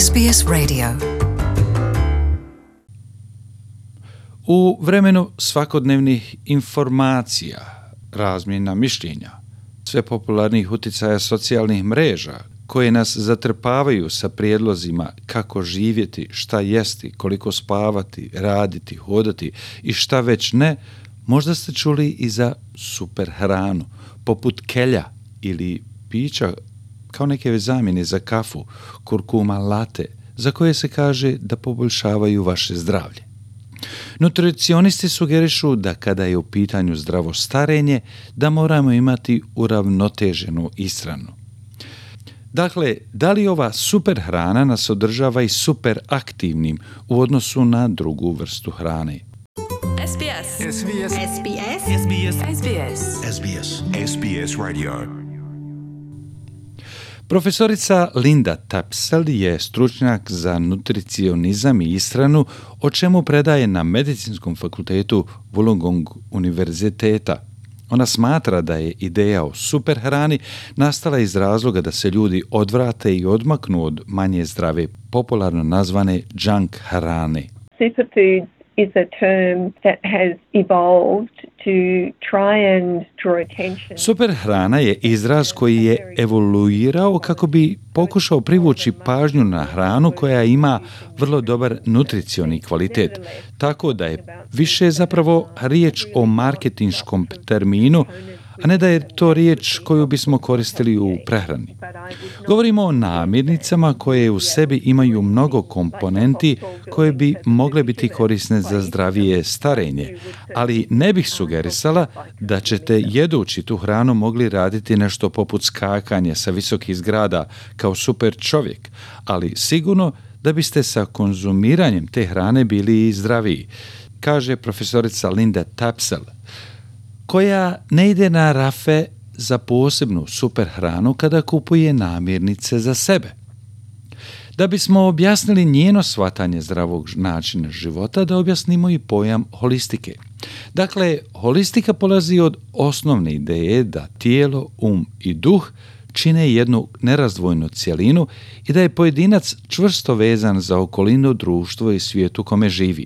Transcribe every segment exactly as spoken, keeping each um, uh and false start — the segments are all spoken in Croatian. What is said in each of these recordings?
S B S Radio. U vremenu svakodnevnih informacija, razmjena mišljenja, sve popularnih utjecaja socijalnih mreža koje nas zatrpavaju sa prijedlozima kako živjeti, šta jesti, koliko spavati, raditi, hodati i šta već ne, možda ste čuli i za super hranu, poput kelja ili pića kao neke zamjene za kafu, kurkuma latte, za koje se kaže da poboljšavaju vaše zdravlje. Nutricionisti sugerišu da kada je u pitanju zdravo starenje, da moramo imati uravnoteženu ishranu. Dakle, da li ova super hrana nas održava i super aktivnim u odnosu na drugu vrstu hrane? S B S. S B S. S B S. S B S. S B S. S B S. S B S Radio. Profesorica Linda Tapsell je stručnjak za nutricionizam i ishranu, o čemu predaje na Medicinskom fakultetu Wollongong univerziteta. Ona smatra da je ideja o super hrani nastala iz razloga da se ljudi odvrate i odmaknu od manje zdrave, popularno nazvane junk hrane. Superfood is a term that has evolved to try and draw attention. Super hrana je izraz koji je evoluirao kako bi pokušao privući pažnju na hranu koja ima vrlo dobar nutricioni kvalitet. Tako da je više zapravo riječ o marketinškom terminu, a ne da je to riječ koju bismo koristili u prehrani. Govorimo o namirnicama koje u sebi imaju mnogo komponenti koje bi mogle biti korisne za zdravije starenje, ali ne bih sugerisala da ćete jedući tu hranu mogli raditi nešto poput skakanja sa visokih zgrada kao super čovjek, ali sigurno da biste sa konzumiranjem te hrane bili i zdraviji, kaže profesorica Linda Tapsell, koja ne ide na rafe za posebnu super hranu kada kupuje namirnice za sebe. Da bismo objasnili njeno shvatanje zdravog načina života, da objasnimo i pojam holistike. Dakle, holistika polazi od osnovne ideje da tijelo, um i duh čine jednu nerazdvojnu cjelinu i da je pojedinac čvrsto vezan za okolinu, društvo i svijet u kome živi.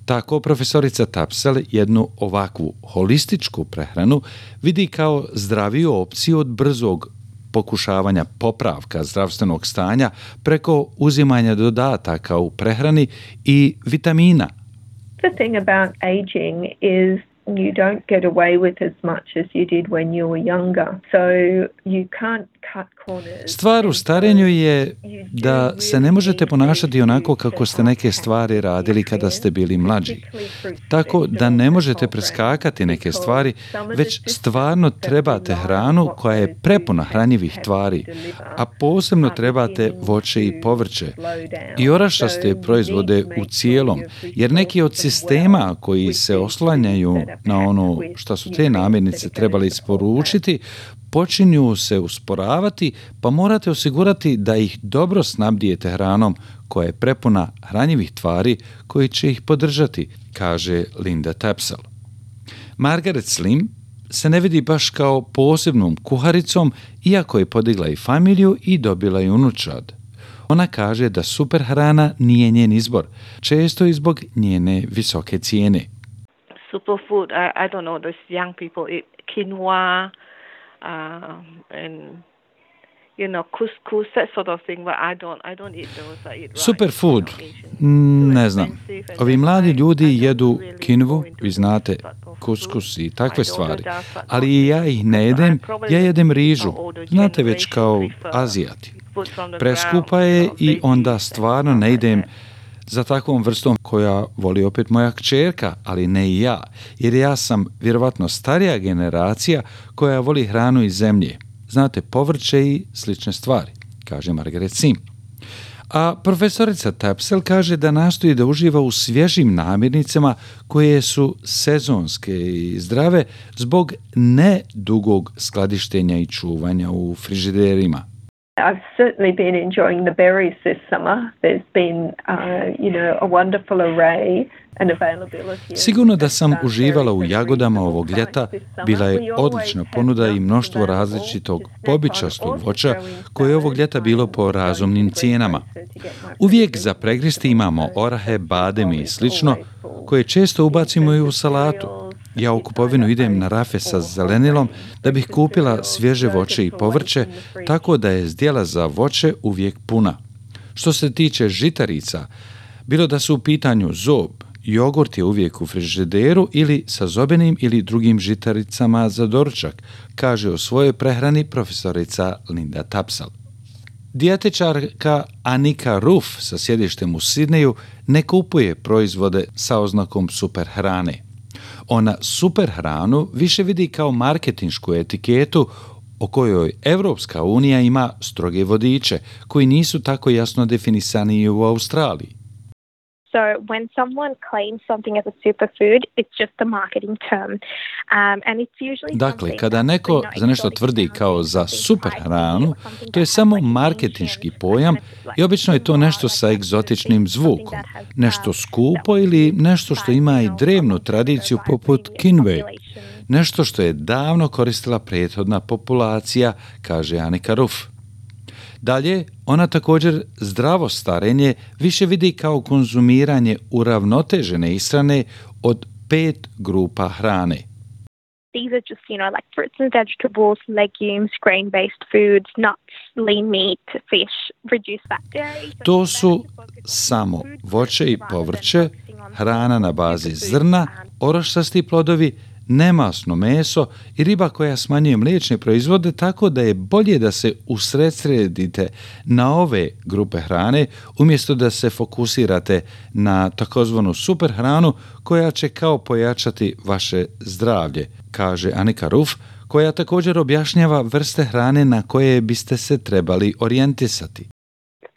Tako profesorica Tapsell jednu ovakvu holističku prehranu vidi kao zdraviju opciju od brzog pokušavanja popravka zdravstvenog stanja preko uzimanja dodataka u prehrani i vitamina. The thing about aging is you don't get away with as much as you did when you were younger. So you can't cut corners. Stvar u starenju je da se ne možete ponašati onako kako ste neke stvari radili kada ste bili mlađi. Tako da ne možete preskakati neke stvari, već stvarno trebate hranu koja je prepuna hranjivih tvari, a posebno trebate voće i povrće i orašaste proizvode u cijelom, jer neki od sistema koji se oslanjaju na ono što su te namirnice trebali isporučiti, počinju se usporavati, pa morate osigurati da ih dobro snabdijete hranom koja je prepuna hranjivih tvari koji će ih podržati, kaže Linda Tapsell. Margaret Slim se ne vidi baš kao posebnom kuharicom, iako je podigla i familiju i dobila i unučad. Ona kaže da super hrana nije njen izbor, često i zbog njene visoke cijene. Superfood, I, I don't know, those young people eat quinoa, uh, and you know, couscous, that sort of thing, but I don't, I don't eat those. I eat rice. Superfood, mm, ne znam. Ovi mladi ljudi jedu kinvu, vi znate, kuskus i takve stvari, ali ja ih ne jedem, ja jedem rižu, znate već kao Azijati. Preskupa je i onda stvarno ne idem za takvom vrstom koja voli opet moja kćerka, ali ne i ja, jer ja sam vjerovatno starija generacija koja voli hranu iz zemlje. Znate, povrće i slične stvari, kaže Margaret Sim. A profesorica Tapsell kaže da nastoji da uživa u svježim namirnicama koje su sezonske i zdrave zbog ne dugog skladištenja i čuvanja u frižiderima. I've certainly been enjoying the berries this summer. There's been, uh, you know, a wonderful array and availability. Sigurno da sam uživala u jagodama ovog ljeta, bila je odlična ponuda i mnoštvo različitog bobičastog voća koje je ovog ljeta bilo po razumnim cijenama. Uvijek za pregristi imamo orahe, bademi i slično, koje često ubacimo i u salatu. Ja u kupovinu idem na rafe sa zelenilom da bih kupila svježe voće i povrće, tako da je zdjela za voće uvijek puna. Što se tiče žitarica, bilo da su u pitanju zob, jogurt je uvijek u frižideru ili sa zobenim ili drugim žitaricama za doručak, kaže o svojoj prehrani profesorica Linda Tapsell. Dijetičarka Anika Ruff sa sjedištem u Sidneju ne kupuje proizvode sa oznakom super hrane. Ona super hranu više vidi kao marketinšku etiketu o kojoj Evropska unija ima stroge vodiče koji nisu tako jasno definisani u Australiji. So when someone claims something as a superfood, it's just a marketing term. Um, and it's usually Dakle, kada neko za nešto tvrdi kao za super hranu, to je samo marketinški pojam i obično je to nešto sa egzotičnim zvukom, nešto skupo ili nešto što ima i drevnu tradiciju poput kinve, nešto što je davno koristila prethodna populacija, kaže Anika Ruff. Dalje, ona također zdravo starenje više vidi kao konzumiranje uravnotežene ishrane od pet grupa hrane. These are just, you know, like fruits and vegetables, legumes, grain-based foods, nuts, lean meat, fish, reduced fat dairy. To su samo voće i povrće, hrana na bazi zrna, oroščasti plodovi, nemasno meso i riba koja smanjuje mliječne proizvode, tako da je bolje da se usredsredite na ove grupe hrane umjesto da se fokusirate na takozvanu super hranu koja će kao pojačati vaše zdravlje, kaže Anika Ruff, koja također objašnjava vrste hrane na koje biste se trebali orijentisati.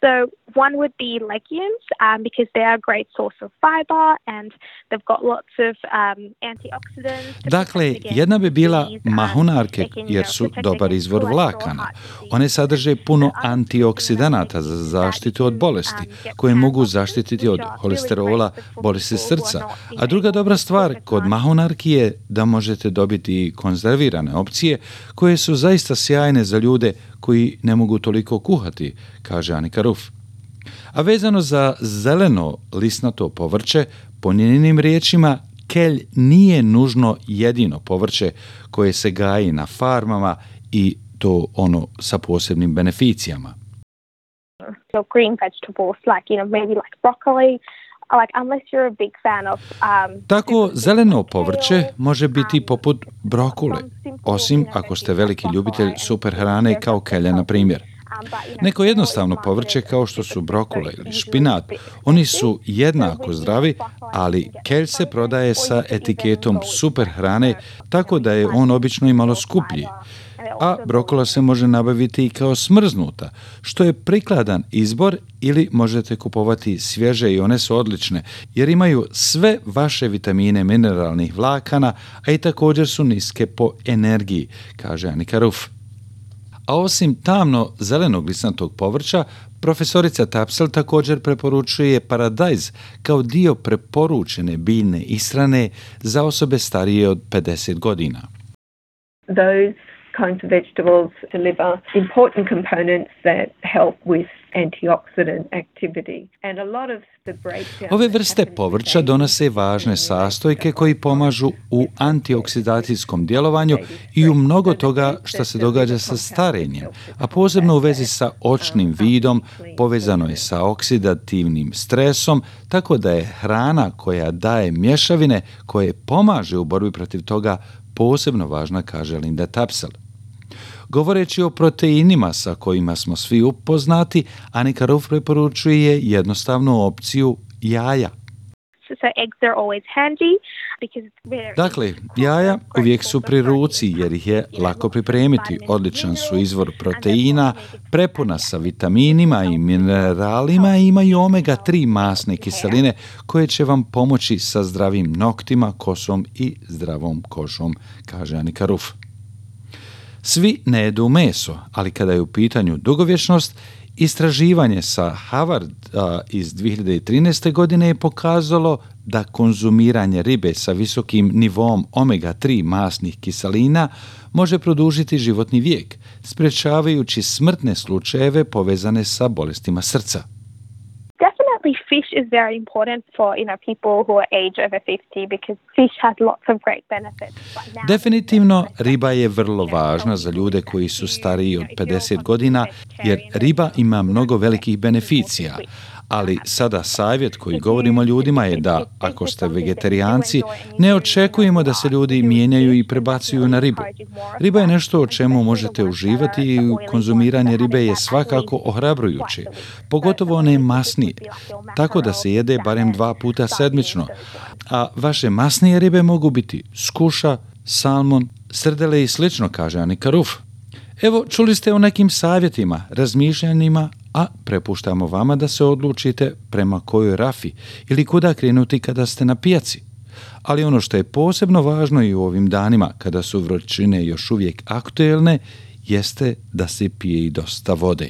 So one would be legumes um, because they are a great source of fiber and they've got lots of um, antioxidants. Dakle, jedna bi bila mahunarke jer su dobar izvor vlakana. One sadrže puno antioksidanata za zaštitu od bolesti koje mogu zaštititi od holesterola, bolesti srca. A druga dobra stvar kod mahunarki je da možete dobiti konzervirane opcije koje su zaista sjajne za ljude koji ne mogu toliko kuhati, kaže Anika Ruff. A vezano za zeleno lisnato povrće, po njenim riječima, kelj nije nužno jedino povrće koje se gaji na farmama i to ono sa posebnim beneficijama. So green vegetables like, you know, maybe like broccoli, like unless you're a big fan of um Tako zeleno povrće može biti poput brokule, osim ako ste veliki ljubitelj super hrane kao kelja na primjer. Neko jednostavno povrće kao što su brokule ili špinat, oni su jednako zdravi, ali kelj se prodaje sa etiketom super hrane, tako da je on obično i malo skuplji. A brokula se može nabaviti i kao smrznuta, što je prikladan izbor ili možete kupovati svježe i one su odlične, jer imaju sve vaše vitamine mineralnih vlakana, a i također su niske po energiji, kaže Anika Ruff. A osim tamno zelenog lisnatog povrća, profesorica Tapsell također preporučuje paradajz kao dio preporučene biljne ishrane za osobe starije od pedeset godina. Those kinds of vegetables deliver important components that help with antioxidant activity. And a lot of the breakdown Ove vrste povrća donose važne sastojke koji pomažu u antioksidacijskom djelovanju i u mnogo toga što se događa sa starenjem, a posebno u vezi sa očnim vidom, povezano je sa oksidativnim stresom, tako da je hrana koja daje mješavine koje pomaže u borbi protiv toga posebno važna, kaže Linda Tapsell. Govoreći o proteinima sa kojima smo svi upoznati, Anika Ruff preporučuje jednostavnu opciju jaja. So eggs are always handy because it's very... Dakle, jaja uvijek su pri ruci jer ih je lako pripremiti. Odličan su izvor proteina, prepuna sa vitaminima i mineralima i imaju omega tri masne kiseline koje će vam pomoći sa zdravim noktima, kosom i zdravom kožom, kaže Anika Ruff. Svi ne jedu meso, ali kada je u pitanju dugovječnost, istraživanje sa Harvarda iz dvije hiljade trinaeste. godine je pokazalo da konzumiranje ribe sa visokim nivom omega tri masnih kiselina može produžiti životni vijek, sprečavajući smrtne slučajeve povezane sa bolestima srca. Definitely fish is very important for, you know, people who are age over fifty because fish has lots of great benefits. Definitivno riba je vrlo važna za ljude koji su stariji od pedeset godina jer riba ima mnogo velikih beneficija. Ali sada savjet koji govorimo ljudima je da, ako ste vegetarijanci, ne očekujemo da se ljudi mijenjaju i prebacuju na ribu. Riba je nešto o čemu možete uživati i konzumiranje ribe je svakako ohrabrujuće, pogotovo one masnije, tako da se jede barem dva puta sedmično, a vaše masnije ribe mogu biti skuša, salmon, srdele i slično, kaže Anika Ruf. Evo, čuli ste o nekim savjetima, razmišljanjima, a prepuštamo vama da se odlučite prema kojoj rafi ili kuda krenuti kada ste na pijaci. Ali ono što je posebno važno i u ovim danima, kada su vrućine još uvijek aktuelne, jeste da se pije i dosta vode.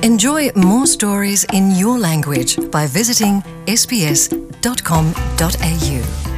Enjoy more stories in your language by visiting s b s dot com dot a u.